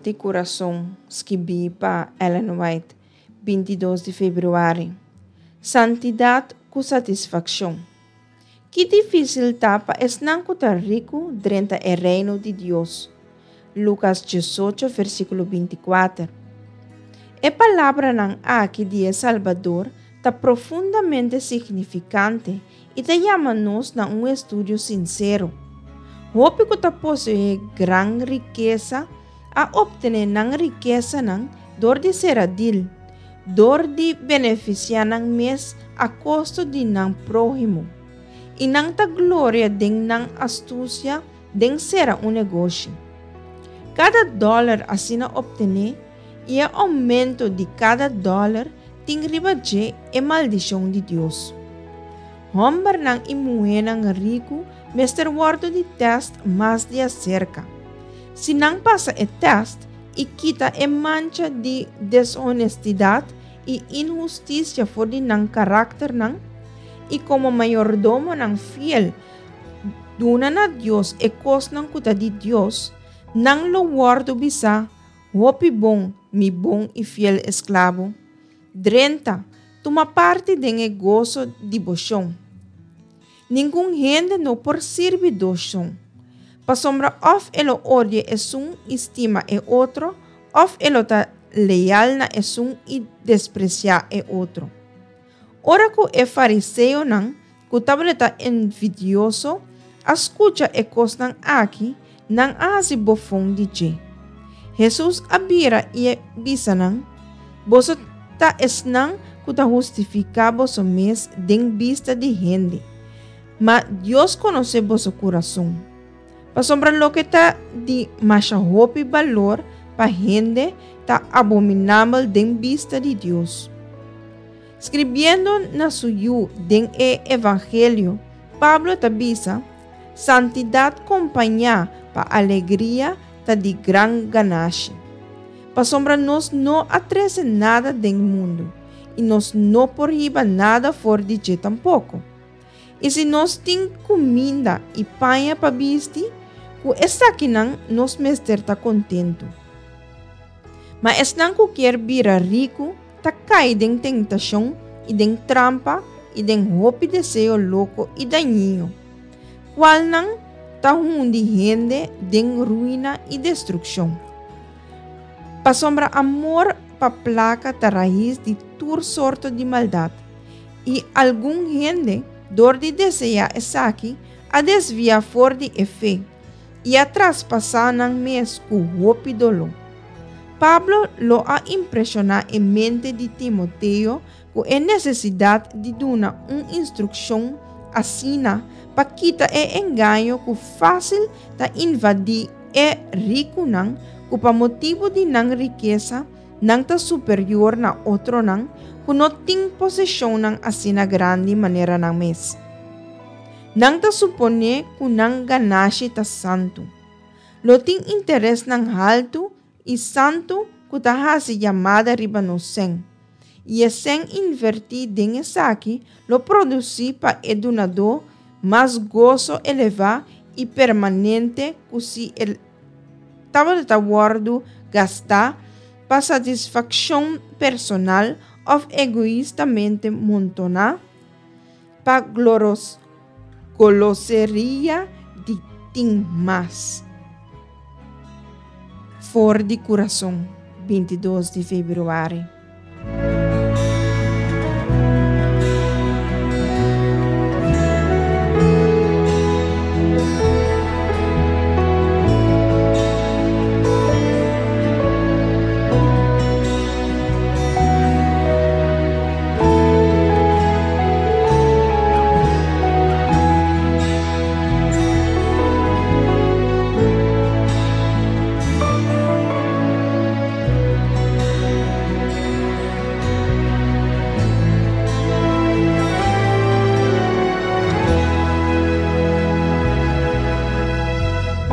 di Kurason, skibí pa Ellen White, 22 di febrüari. Santidat ku satisfakshon. Ki difísil ta pa esnan ku ta riku drenta e Reino di Dios! Lukas 18, versíkulo 24. E palabranan aki di e Salbador ta profundamente signifikante i ta yama nos na un estudio sinsero. Hopi ku ta poseé gran rikesa a optené nan rikesanan dor di sera dil, dor di benefisiá nan mes a kosto di nan próhimo. I nan ta gloria den nan astusia den sera un negoshi. Kada dòler asina optené i e oumento di kada dòler tin riba dje e maldishon di Dios. Hòmbernan i muhénan riku mester wòrdu di tèst mas di aserka. Si nan pasa e tèst i kita e mancha di deshonestidat i inhustisia for di nan karakternan, i komo mayordomonan fiel duna na Dios e kosnan ku ta di Dios, nan lo wòrdu bisá, Hopi bon, mi bon i fiel esklabo. Drenta, tuma parti den e goso di bo shon. Ningun hende no por sirbi dos shon, pasobra òf e lo odia esun i stima e otro, òf e lo ta leal na esun i despresiá e otro. Ora ku e fariseonan, ku tabata envidioso, a skucha e kosnan aki, nan a hasi bofon di dje. Hesus a bira i a bisa nan, Boso ta esnan ku ta hustifiká boso mes den bista di hende, ma Dios konosé boso kurason. Pasobra loke ta di masha hopi balor pa hende ta abominabel den bista di Dios. Skribiendo na su yu den e Evangelio, Pablo ta bisa, Santidat kompañá pa alegria ta di gran ganashi. Pasobra nos no a trese nada den mundu, i nos no por hiba nada for di dje tampoko. I si nos tin kuminda i paña pa bisti, ku esakinan nos mester ta kontentu. Ma esnan ku kier bira riku ta kai den tentashon i den trampa i den hopi deseo loko i dañino, kualnan ta hundi hende den ruina i destrukshon. Pasobra amor pa plaka ta rais di tur sorto di maldat, i algun hende, dor di deseá esaki, a desviá for di e fe i a traspasá nan mes ku hopi doló. Pablo lo a impreshoná e mente di Timoteo ku e nesesidat di duna un instrukshon asina pa kita e engaño ku fásil ta invadí e rikunan ku pa motibu di nan rikesa nan ta superior na otronan ku no tin poseshonnan asina grandi manera nan mes. Nan ta suponé ku nan ganashi ta santu. Lo tin interesnan haltu i santu ku ta hasi yamada riba nos sèn, i e sèn invertí den esaki lo produsí pa e dunadó mas goso elevá i permanente ku si e tabata ta wòrdu gastá pa satisfakshon personal òf egoistamente montoná pa gloros Goloseria di tin mas. For di kurason, 22 di februari.